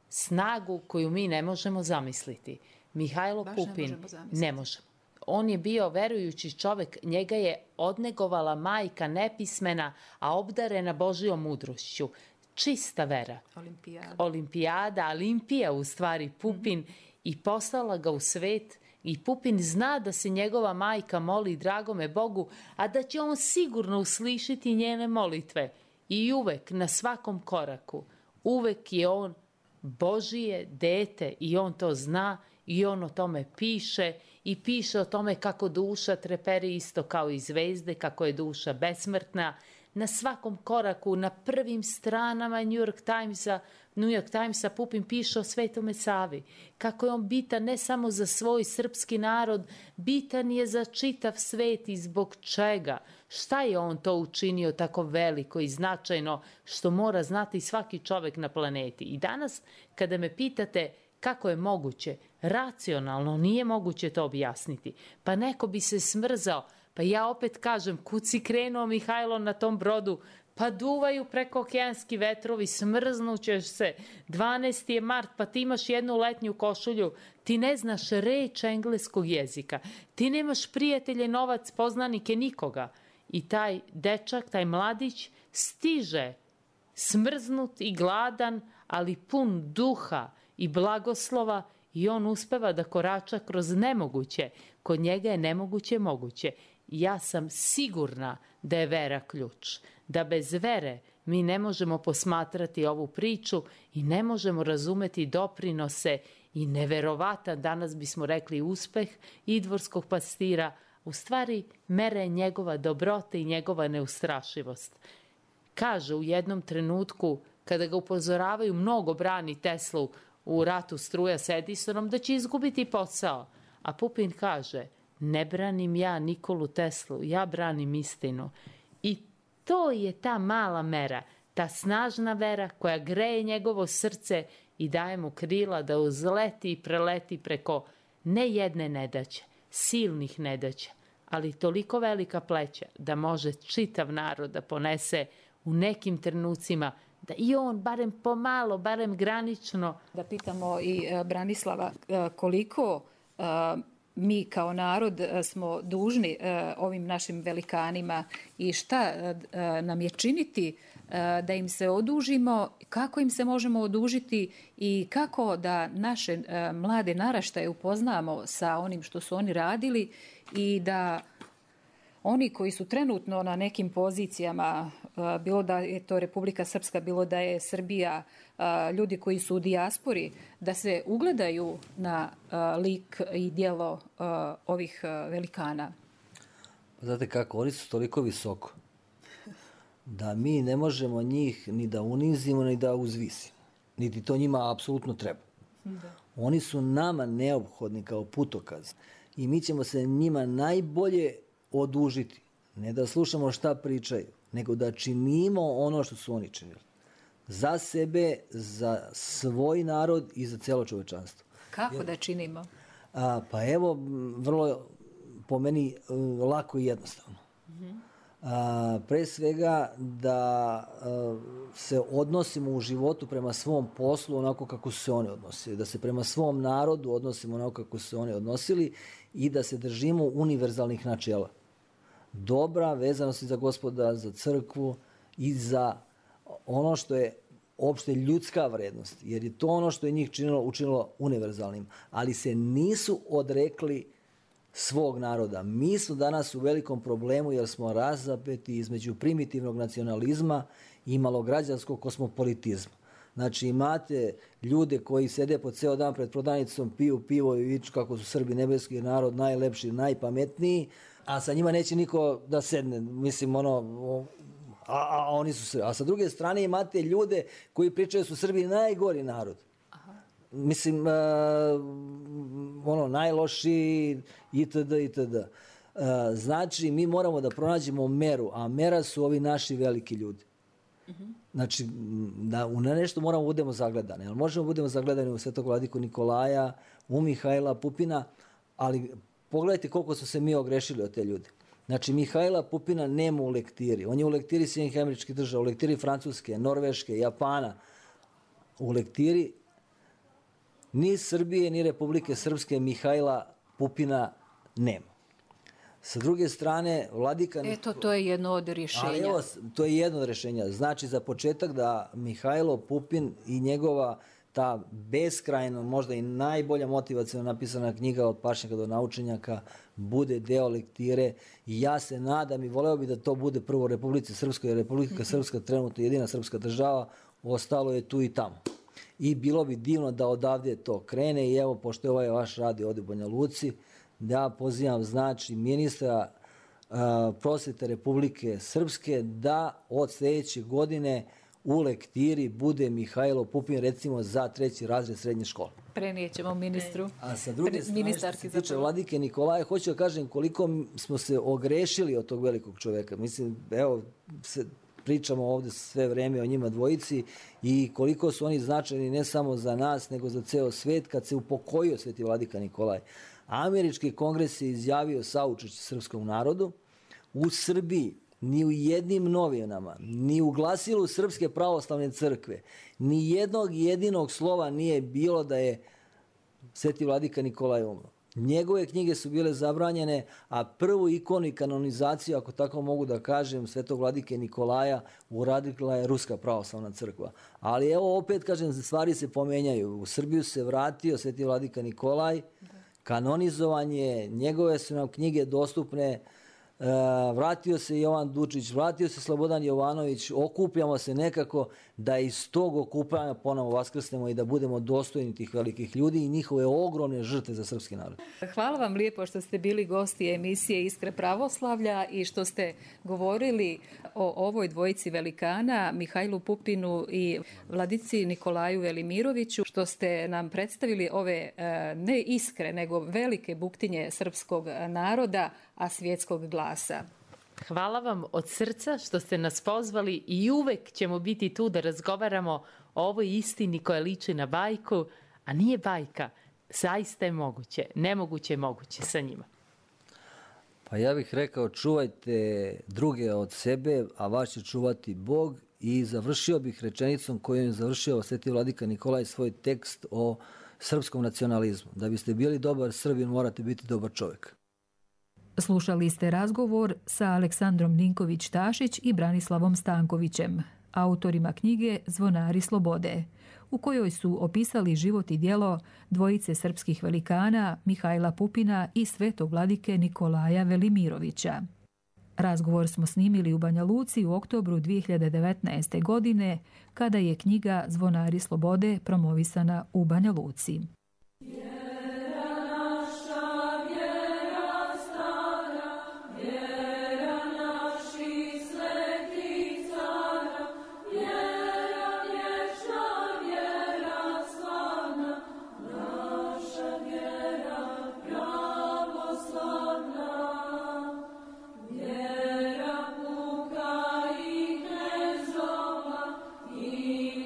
snagu koju mi ne možemo zamisliti. Mihajlo Baš Pupin ne možemo zamisliti. ne možemo. On je bio verujući čovek, njega je odnegovala majka nepismena, a obdarena Božijom mudrošću. Čista vera. Olimpijada. Olimpijada, Olimpija u stvari, Pupin, mm-hmm. i poslala ga u svet. I Pupin zna da se njegova majka moli dragome Bogu, a da će on sigurno uslišiti njene molitve. I uvek, na svakom koraku, uvek je on Božije dete i on to zna i on o tome piše i piše o tome kako duša treperi isto kao i zvezde, kako je duša besmrtna. Na svakom koraku, na prvim stranama New York Timesa, New York Timesa Pupin piše o Svetome Savi. Kako je on bitan ne samo za svoj srpski narod, bitan je za čitav svet i zbog čega. Šta je on to učinio tako veliko i značajno što mora znati svaki čovek na planeti. I danas kada me pitate kako je moguće, racionalno nije moguće to objasniti. Pa neko bi se smrzao. Pa ja opet kažem, kud si krenuo Mihajlo na tom brodu? Pa duvaju preko okeanski vetrovi, smrznućeš se. dvanaesti je mart, pa ti imaš jednu letnju košulju. Ti ne znaš reč engleskog jezika. Ti nemaš prijatelje, novac, poznanike, nikoga. I taj dečak, taj mladić stiže smrznut i gladan, ali pun duha i blagoslova i on uspeva da korača kroz nemoguće. Kod njega je nemoguće moguće. Ja sam sigurna da je vera ključ. Da bez vere mi ne možemo posmatrati ovu priču i ne možemo razumeti doprinose i neverovatan, danas bismo rekli, uspeh idvorskog pastira. U stvari, mere njegova dobrota i njegova neustrašivost. Kaže u jednom trenutku, kada ga upozoravaju, mnogo brani Teslu u ratu struja s Edisonom, da će izgubiti posao. A Pupin kaže, ne branim ja Nikolu Teslu, ja branim istinu. I to je ta mala mera, ta snažna vera koja greje njegovo srce i daje mu krila da uzleti i preleti preko ne jedne nedaće, silnih nedaća, ali toliko velika pleća da može čitav narod da ponese u nekim trenucima, da i on, barem pomalo, barem granično. Da pitamo i Branislava koliko mi kao narod smo dužni ovim našim velikanima i šta nam je činiti da im se odužimo, kako im se možemo odužiti i kako da naše mlade naraštaje upoznamo sa onim što su oni radili i da oni koji su trenutno na nekim pozicijama, bilo da je to Republika Srpska, bilo da je Srbija, ljudi koji su u dijaspori, da se ugledaju na lik i djelo ovih velikana. Znate kako, oni su toliko visoko da mi ne možemo njih ni da unizimo, ni da uzvisimo. Niti to njima apsolutno treba. Da. Oni su nama neophodni kao putokaz i mi ćemo se njima najbolje odužiti. Ne da slušamo šta pričaju, nego da činimo ono što su oni činili. Za sebe, za svoj narod i za celo čovečanstvo. Kako Jer, da činimo? A, pa evo, vrlo po meni lako i jednostavno. Mm-hmm. A, pre svega da a, se odnosimo u životu prema svom poslu onako kako su se oni odnosili. Da se prema svom narodu odnosimo onako kako su se oni odnosili i da se držimo univerzalnih načela. Dobra vezanost za Gospoda, za crkvu i za ono što je opšte ljudska vrednost, jer je to ono što je njih činilo, učinilo univerzalnim, ali se nisu odrekli svog naroda. Mi smo danas u velikom problemu jer smo razapeti između primitivnog nacionalizma i malograđanskog kosmopolitizma. Znači imate ljude koji sede po ceo dan pred prodavnicom, piju pivo i viču kako su Srbi nebeski narod, najlepši, najpametniji, a sa njima neće niko da sedne. Mislim, ono, a, a, a oni su Srbi. A sa druge strane imate ljude koji pričaju su Srbi najgori narod. Aha. Mislim, uh, ono, najlošiji itd. itd. Uh, znači, mi moramo da pronađemo meru, a mera su ovi naši veliki ljudi. Uh-huh. Znači, na, na nešto moramo budemo zagledani. Ali možemo budemo zagledani u Svetog vladiku Nikolaja, u Mihajla Pupina, ali pogledajte koliko su se mi ogrešili od te ljude. Znači, Mihajla Pupina nema u lektiri. On je u lektiri Sjedinjenih Američkih Država, u lektiri Francuske, Norveške, Japana. U lektiri ni Srbije, ni Republike Srpske Mihajla Pupina nema. Sa druge strane, vladika... Eto, to je jedno od rješenja. Ali evo, to je jedno od rješenja. Znači, za početak da Mihajlo Pupin i njegova ta beskrajno, možda i najbolja motivacijno napisana knjiga od pašnjaka do naučenjaka bude deo lektire i ja se nadam i voleo bi da to bude prvo u Republici Srpskoj, jer Republika Srpska trenutno jedina srpska država, ostalo je tu i tamo. I bilo bi divno da odavde to krene i evo, pošto je ovaj vaš radi ovdje u Banja Luci, da pozivam znači ministra uh, prosvete Republike Srpske da od sljedeće godine u lektiri bude Mihajlo Pupin recimo za treći razred srednje škole. Prenijećemo ministru. A sa druge strane, što se tiče vladike Nikolaja, hoću da kažem koliko smo se ogrešili od tog velikog čoveka. Mislim, evo, se pričamo ovdje sve vreme o njima dvojici i koliko su oni značajni ne samo za nas, nego za ceo svet kad se upokojio sveti vladika Nikolaj. Američki kongres je izjavio saučešće srpskom narodu. U Srbiji ni u jednim novinama, ni u glasilu Srpske pravoslavne crkve, ni jednog jedinog slova nije bilo da je sveti vladika Nikolaj umro. Njegove knjige su bile zabranjene, a prvu ikonu i kanonizaciju, ako tako mogu da kažem, svetog vladike Nikolaja uradila je Ruska pravoslavna crkva. Ali evo opet, kažem, stvari se pomenjaju. U Srbiju se vratio sveti vladika Nikolaj, kanonizovan je, njegove su nam knjige dostupne, Uh, vratio se Jovan Dučić, vratio se Slobodan Jovanović, okupljamo se nekako da iz tog okupljanja ponovo vaskrsnemo i da budemo dostojni tih velikih ljudi i njihove ogromne žrtve za srpski narod. Hvala vam lijepo što ste bili gosti emisije Iskre pravoslavlja i što ste govorili o ovoj dvojici velikana, Mihajlu Pupinu i vladici Nikolaju Velimiroviću, što ste nam predstavili ove ne iskre, nego velike buktinje srpskog naroda, a svjetskog glasa. Hvala vam od srca što ste nas pozvali i uvek ćemo biti tu da razgovaramo o ovoj istini koja liči na bajku, a nije bajka, zaista je moguće, nemoguće je moguće sa njima. Pa ja bih rekao, čuvajte druge od sebe, a vas će čuvati Bog, i završio bih rečenicom kojom je završio sveti vladika Nikolaj svoj tekst o srpskom nacionalizmu. Da biste bili dobar Srbin, morate biti dobar čovjek. Slušali ste razgovor sa Aleksandrom Ninković-Tašić i Branislavom Stankovićem, autorima knjige Zvonari slobode, u kojoj su opisali život i djelo dvojice srpskih velikana Mihajla Pupina i svetog vladike Nikolaja Velimirovića. Razgovor smo snimili u Banja Luci u oktobru dvije hiljade devetnaeste. godine, kada je knjiga Zvonari slobode promovisana u Banja Luci.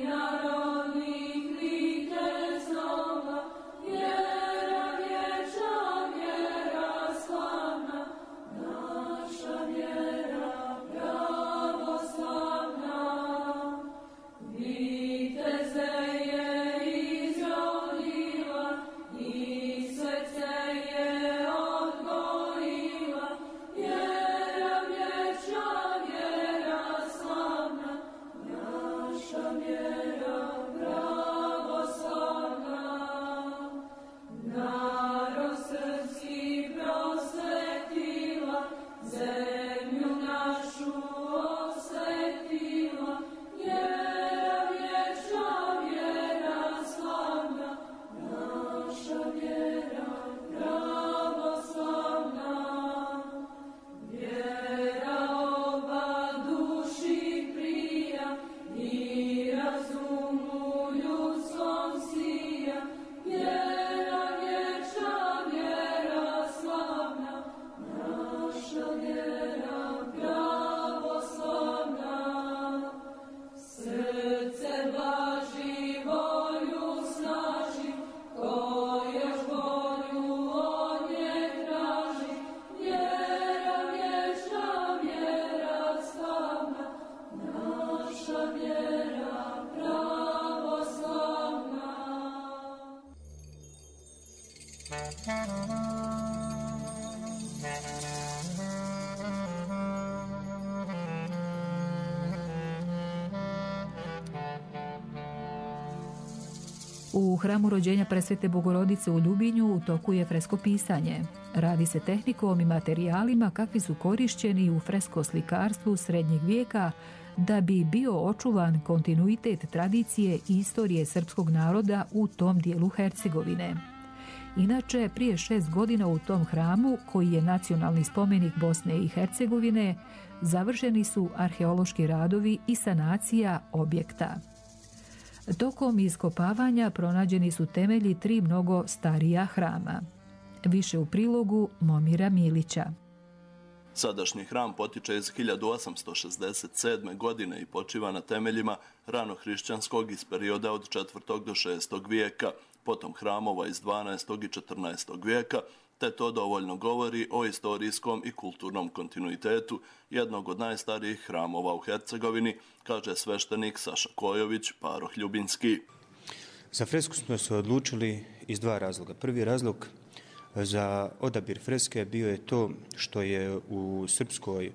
Narodnih vitezova U hramu rođenja Presvete Bogorodice u Ljubinju u toku je freskopisanje. Radi se tehnikom i materijalima kakvi su korišćeni u freskoslikarstvu srednjeg vijeka da bi bio očuvan kontinuitet tradicije i istorije srpskog naroda u tom dijelu Hercegovine. Inače, prije šest godina u tom hramu, koji je nacionalni spomenik Bosne i Hercegovine, završeni su arheološki radovi i sanacija objekta. Tokom iskopavanja pronađeni su temelji tri mnogo starija hrama. Više u prilogu Momira Milića. Sadašnji hram potiče iz hiljadu osamsto šezdeset sedme. godine i počiva na temeljima ranohrišćanskog iz perioda od četvrtog do šestog vijeka, potom hramova iz dvanaestog i četrnaestog vijeka, te to dovoljno govori o istorijskom i kulturnom kontinuitetu jednog od najstarijih hramova u Hercegovini, kaže sveštenik Saša Kojović, paroh Ljubinski. Za fresku smo se odlučili iz dva razloga. Prvi razlog za odabir freske bio je to što je u srpskoj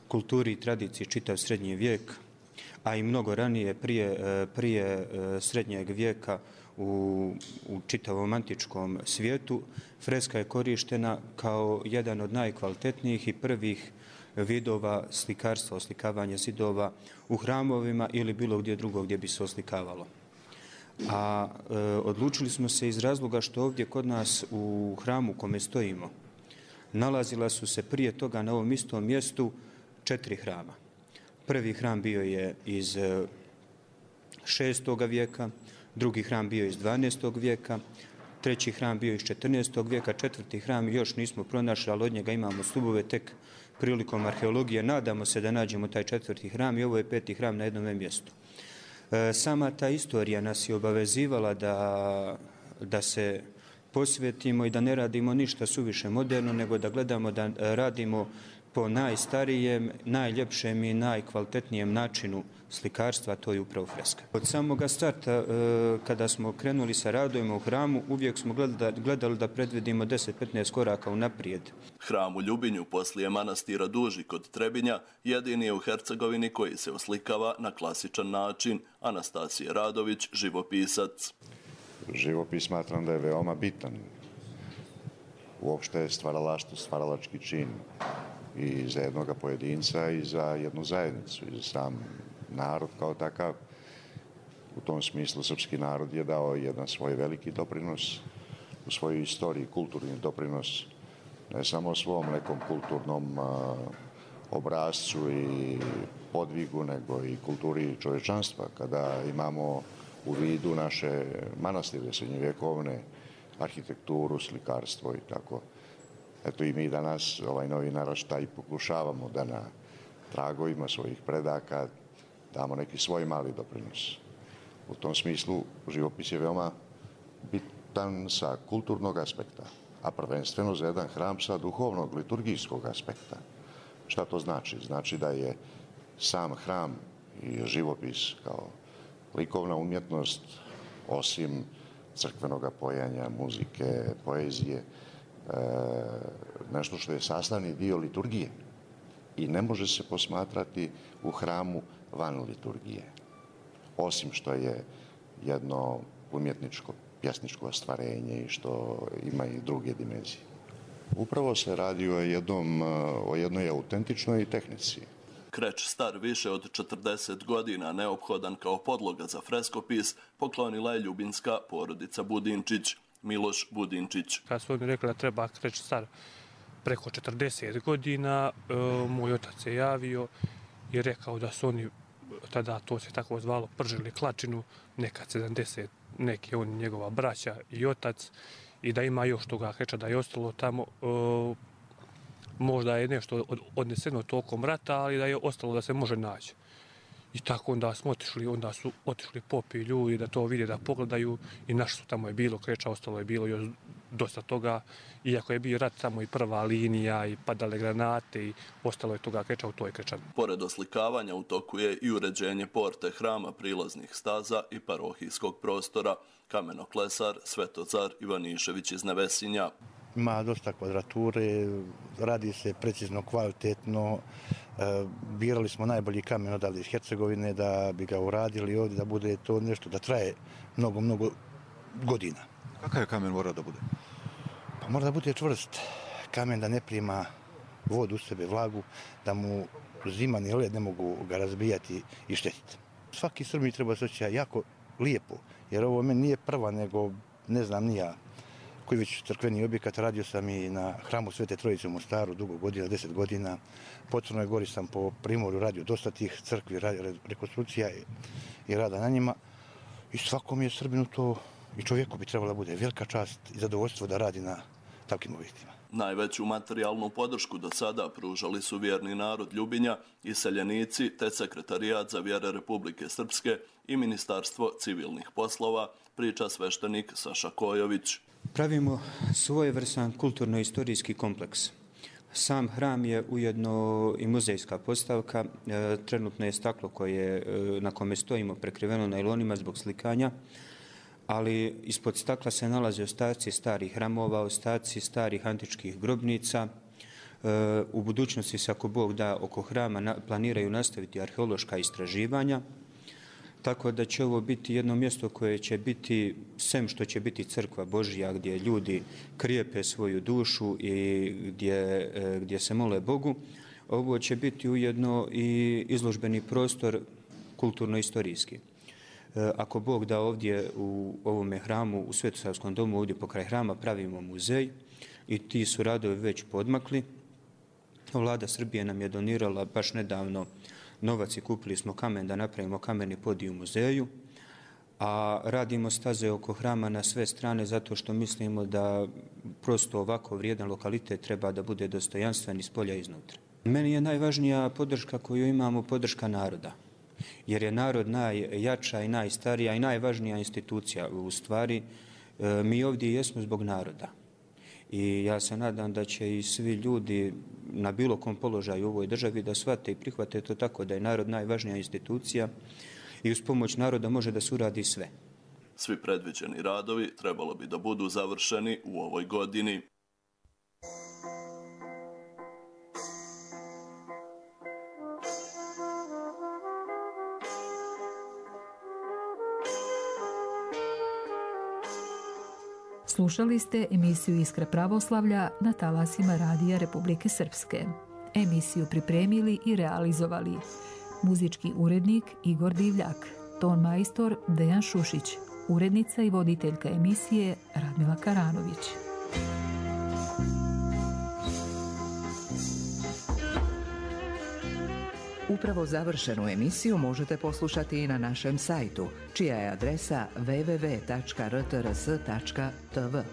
kulturi i tradiciji čitav srednji vijek, a i mnogo ranije prije, prije srednjeg vijeka u, u čitavom antičkom svijetu, freska je korištena kao jedan od najkvalitetnijih i prvih vidova slikarstva, oslikavanja zidova u hramovima ili bilo gdje drugo gdje bi se oslikavalo. A e, odlučili smo se iz razloga što ovdje kod nas u hramu u kome stojimo nalazila su se prije toga na ovom istom mjestu četiri hrama. Prvi hram bio je iz šestog vijeka, drugi hram bio iz dvanaestog vijeka, treći hram bio iz četrnaestog vijeka, četvrti hram još nismo pronašli, ali od njega imamo stubove tek prilikom arheologije. Nadamo se da nađemo taj četvrti hram i ovo je peti hram na jednom mjestu. Sama ta istorija nas je obavezivala da, da se posvetimo i da ne radimo ništa suviše moderno, nego da gledamo da radimo po najstarijem, najljepšem i najkvalitetnijem načinu slikarstva, to je upravo freska. Od samoga starta, kada smo krenuli sa radovima u hramu, uvijek smo gledali, gledali da predvidimo deset do petnaest koraka unaprijed. Hram u Ljubinju poslije manastira Duži kod Trebinja jedini je u Hercegovini koji se oslikava na klasičan način. Anastasije Radović, živopisac. Živopis smatram da je veoma bitan. Uopšte je stvaralaštvo, stvaralački čin i za jednog pojedinca i za jednu zajednicu i za sam narod kao takav. U tom smislu srpski narod je dao jedan svoj veliki doprinos u svojoj istoriji, kulturni doprinos, ne samo svom nekom kulturnom a, obrazcu i podvigu, nego i kulturi čovječanstva. Kada imamo u vidu naše manastire srednjovjekovne, arhitekturu, slikarstvo i tako. Eto i mi danas, ovaj novi naraštaj, pokušavamo da na tragovima svojih predaka damo neki svoj mali doprinos. U tom smislu živopis je veoma bitan sa kulturnog aspekta, a prvenstveno za jedan hram sa duhovnog, liturgijskog aspekta. Šta to znači? Znači da je sam hram i živopis kao likovna umjetnost, osim crkvenog pojanja, muzike, poezije, e, nešto što je sastavni dio liturgije i ne može se posmatrati u hramu van liturgije, osim što je jedno umjetničko, pjesničko ostvarenje i što ima i druge dimenzije. Upravo se radi o, jednom, o jednoj autentičnoj tehnici. Kreč star više od četrdeset godina, neophodan kao podloga za freskopis, poklonila je ljubinska porodica Budinčić, Miloš Budinčić. Kad su mi rekli da treba kreč star preko četrdeset godina, moj otac se javio i rekao da su oni, tada to se tako zvalo, pržili klačinu, nekad sedamdeset, neki on njegova braća i otac, i da ima još toga kreča da je ostalo tamo. Možda je nešto odneseno tokom rata, ali da je ostalo da se može naći. I tako onda smo otišli, onda su otišli popi ljudi da to vide, da pogledaju i našli su tamo je bilo kreča, ostalo je bilo još dosta toga, iako je bio rat samo i prva linija i padale granate i ostalo je toga kreča, u to je krečan. Pored oslikavanja u toku je i uređenje porte hrama, prilaznih staza i parohijskog prostora. Kamenoklesar Svetozar Ivanišević iz Nevesinja. Ima dosta kvadrature, radi se precizno, kvalitetno. Birali smo najbolji kamen odavde iz Hercegovine da bi ga uradili ovdje, da bude to nešto, da traje mnogo, mnogo godina. Kakav je kamen mora da bude? Pa mora da bude čvrst. Kamen da ne prima vodu u sebe, vlagu, da mu zima ni led ne mogu ga razbijati i štetiti. Svaki Srbi treba se osjećati jako lijepo, jer ovo meni nije prva, nego ne znam ni ja koji već crkveni objekat. Radio sam i na hramu Svete Trojice u Mostaru dugo godina, deset godina. Po Crnoj Gori sam po Primorju radio dosta tih crkvi, rekonstrukcija i rada na njima. I svakom je Srbinu to i čovjeku bi trebalo da bude velika čast i zadovoljstvo da radi na takvim objektima. Najveću materijalnu podršku do sada pružali su vjerni narod Ljubinja, iseljenici te Sekretarijat za vjere Republike Srpske i Ministarstvo civilnih poslova, priča sveštenik Saša Kojović. Pravimo svojevrstan kulturno-istorijski kompleks. Sam hram je ujedno i muzejska postavka. Trenutno je staklo koje, na kome stojimo prekriveno najlonima zbog slikanja, ali ispod stakla se nalaze ostaci starih hramova, ostaci starih antičkih grobnica. U budućnosti se, ako Bog da, oko hrama planiraju nastaviti arheološka istraživanja, tako da će ovo biti jedno mjesto koje će biti, sem što će biti crkva Božja, gdje ljudi krijepe svoju dušu i gdje, gdje se mole Bogu, ovo će biti ujedno i izložbeni prostor kulturno-istorijski. Ako Bog da, ovdje u ovome hramu, u Svetosavskom domu, ovdje pokraj hrama pravimo muzej i ti su radovi već podmakli. Vlada Srbije nam je donirala baš nedavno novac i kupili smo kamen da napravimo kameni podij u muzeju, a radimo staze oko hrama na sve strane zato što mislimo da prosto ovako vrijedan lokalitet treba da bude dostojanstven iz polja i iznutra. Meni je najvažnija podrška koju imamo podrška naroda, jer je narod najjača i najstarija i najvažnija institucija. U stvari, mi ovdje jesmo zbog naroda. I ja se nadam da će i svi ljudi na bilo kom položaju u ovoj državi da shvate i prihvate to tako da je narod najvažnija institucija i uz pomoć naroda može da se uradi sve. Svi predviđeni radovi trebalo bi da budu završeni u ovoj godini. Slušali ste emisiju Iskra pravoslavlja na talasima Radija Republike Srpske. Emisiju pripremili i realizovali muzički urednik Igor Divljak, ton majstor Dejan Šušić, urednica i voditeljka emisije Radmila Karanović. Upravo završenu emisiju možete poslušati i na našem sajtu, čija je adresa w w w tačka r t r s tačka t v.